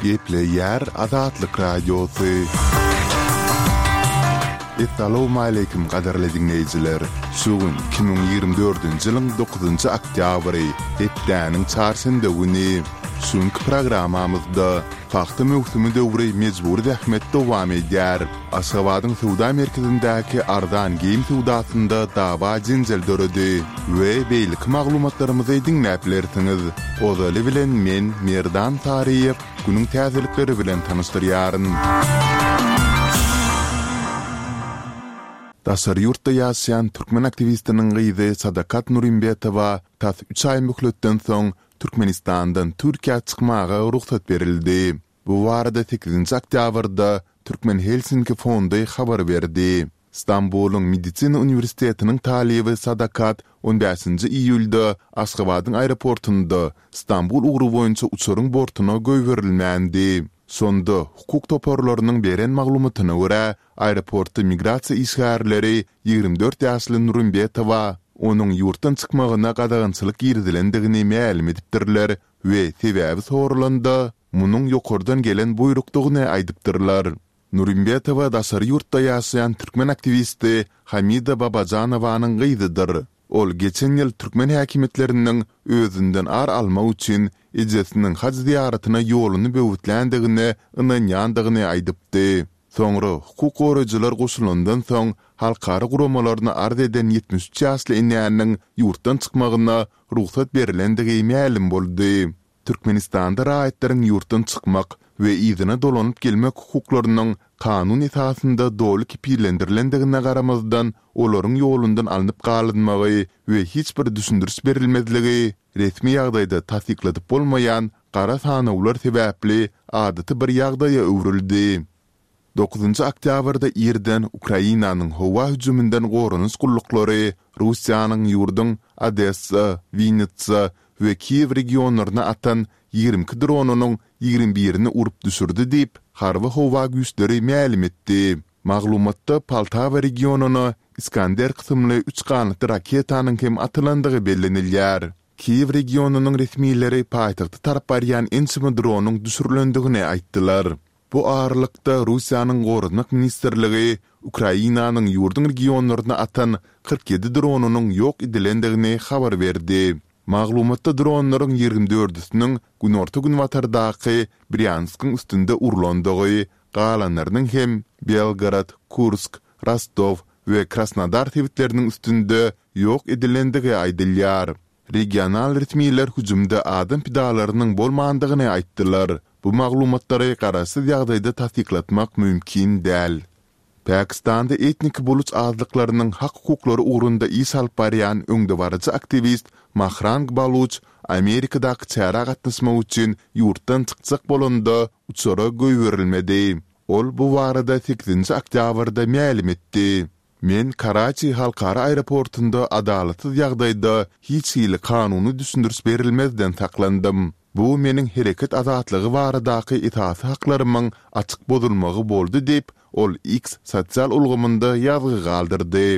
Gepleýär Azatlyk Radiosy. Essalawmaleýkim gadyrly diňleýjiler! Şu gün 2024-nji ýylyň dokuzynjy oktýabry, hepdäniň çarşenbe güni. Şu günki programmamyzda pagta möwsümi döwri mejbury zähmet dowam edýär. Aşgabadyň söwda merkezindäki arzan geýim söwdasynda dawa-jenjel döredi we beýleki maglumatlarymyzy diňläp bilersiňiz. Ozaly bilen men, Merdan Saryýew, günüň täzelikleri bilen tanyşdyrýaryn. Daşary ýurtda ýaşaýan türkmen aktiwistiniň gyzy Sadakat Nurimbetowa tas üç aý möhletden soň Türkmenistandan Türkiýä çykmaga rugsat berildi. Bu barada sekizinji oktýabrda Türkmen Helsinki fondy habar berdi. Stambulyň Medisina uniwersitetiniň talyby Sadakat on bäşinji iýulda Aşgabadyň aeroportunda Stambul ugry boýunça uçaryň bortuna goýberilmändi. Şonda, hukuk toparlarynyň beren maglumatyna görä, aeroportda migrasiýa işgärleri 24 ýaşly Nurimbetowa onuň ýurtdan çykmagyna gadagançylyk girizilendigini mälim edipdirler we sebäbi soralanda, munuň ýokardan gelen buýrukdygyny aýdypdyrlar. Nurimbetowa daşary ýurtda ýaşaýan türkmen aktiwisti Hamida Babajanowanyň gyzydyr. Ol geçen ýyl türkmen häkimiýetleriniň özünden ar almak üçin ejesiniň haj zyýaratyna ýoluny böwütländigine ynanýandygyny aýdypdy. Soňra hukuk goraýjylar goşulandan soň halkara guramalaryna arz eden 73 ýaşly enäniň ýurtdan çykmagyna rugsat berlendigi mälim boldy. Türkmenistanda raýatlaryň ýurtdan çykmak we yzyna dolanyp gelmek hukuklarynyň kanun esasynda doly kepillendirilendigine garamazdan, olaryň ýolundan alnyp galynmagy we hiç bir düşündiriş berilmezligi resmi ýagdaýda tassykladyp bolmaýan gara sanawlar sebäpli adaty bir ýagdaýa öwrüldi. Dokuzynjy oktýabrda irden Ukrainanyň howa hüjüminden goranyş gulluklary Russiýanyň ýurduň Odessa, Winnitsa we Kiýew regionlaryna atan 22 dronynyň 21-ini urup düşürdi diýip, Harby-howa güýçleri mälim etdi. Maglumatda Poltawa regionyna Iskander kysymly üç ganatly raketanyň hem atylandygy bellenilýär. Kiýew regionynyň resmileri paýtagta tarap barýan ençeme dronyň düşürilendigini aýtdylar. Bu aralykda, Russiýanyň Goranmak ministrligi Ukrainanyň ýurduň regionlaryna atan 47 dronynyň ýok edilendigini habar berdi. Maglumatda dronlaryň ýigrimi dördüsiniň günorta-günbatardaky Brýanskyň üstünde urlandygy, galanlarynyň hem Belgorod, Kursk, Rostow we Krasnodar sebitleriniň üstünde ýok edilendigi aýdylýar. Regional resmiler hüjümde adam pidalarynyň bolmandygyny aýtdylar. Bu maglumatlary garaşsyz ýagdaýda tassyklatmak mümkin däl. Pakistanda etnik buluç azlyklarynyň hak-hukuklary ugrunda iş alyp barýan öňdebaryjy aktiwist Mahrang Baluç Amerikadaky çärä gatnaşmak üçin ýurtdan çykjak bolanda uçara goýberilmedi. Ol bu barada sekizinji oktýabrda mälim etdi. Men Karaçi halkara aeroportunda adalatsyz ýagdaýda hiç hili kanuny düşündiriş berilmezden saklandym. Bu meniň hereket azatlygy baradaky esasy haklarymyň açyk bozulmagy boldy diýip, ol X sosial ulgamynda ýazgy galdyrdy.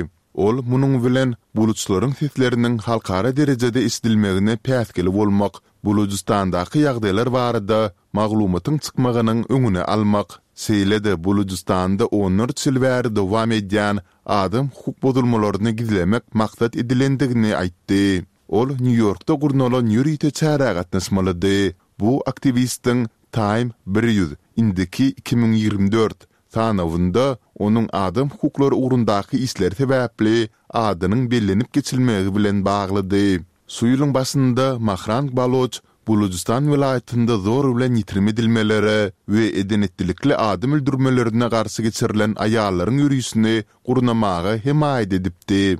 Ol munuň bilen buluçlaryň sesleriniň halkara derejede eşidilmegine päsgel bolmak, Bulujystandaky ýagdaýlar barada maglumatyň çykmagynyň öňüni almak, şeýle-de Bulujystanda onlarça ýyl bäri dowam edýän adam hukuk bozulmalaryny gizlemek maksat edilendigini aýtdy. Ol Nýu-Ýorkda gurnalan ýörite çärä gatnaşmalydy. Bu aktiwistiň Time 100, indiki 2024, sanawynda onuň adam hukuklary ugrundaky işleri sebäpli adynyň bellenip geçilmegi bilen baglydy. Şu ýylyň başynda Mahrang Baloç Bulujystan welaýatynda zor bilen ýitirim edilmelere we eden-etdilikli adam öldürmelerine garşy geçirilen aýallaryň ýörişini gurnamaga hemaýat edipdi.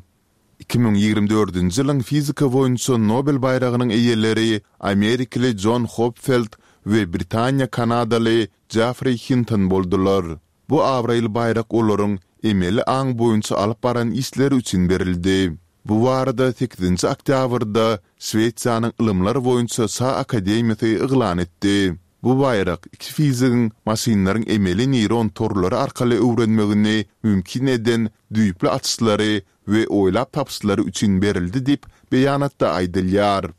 2024-nji ýylyň fizika boýunça Nobel baýragynyň eýeleri amerikaly Jon Hopfeld we britaniýa-kanadaly Jeffri Hinton boldular. Bu abraýly baýrak olaryň emeli aň boýunça alyp baran işleri üçin berildi. Bu barada sekizinji oktýabrda Şwesiýanyň Ylymlar boýunça Şa akademiýasy yglan etdi. Bu baýrak iki fizigiň maşynlaryň emeli neýron torlary arkaly öwrenmegini mümkin eden düýpli açyşlary we oýlap tapyşlary üçin berildi diýip, beýanatda aýdylýar.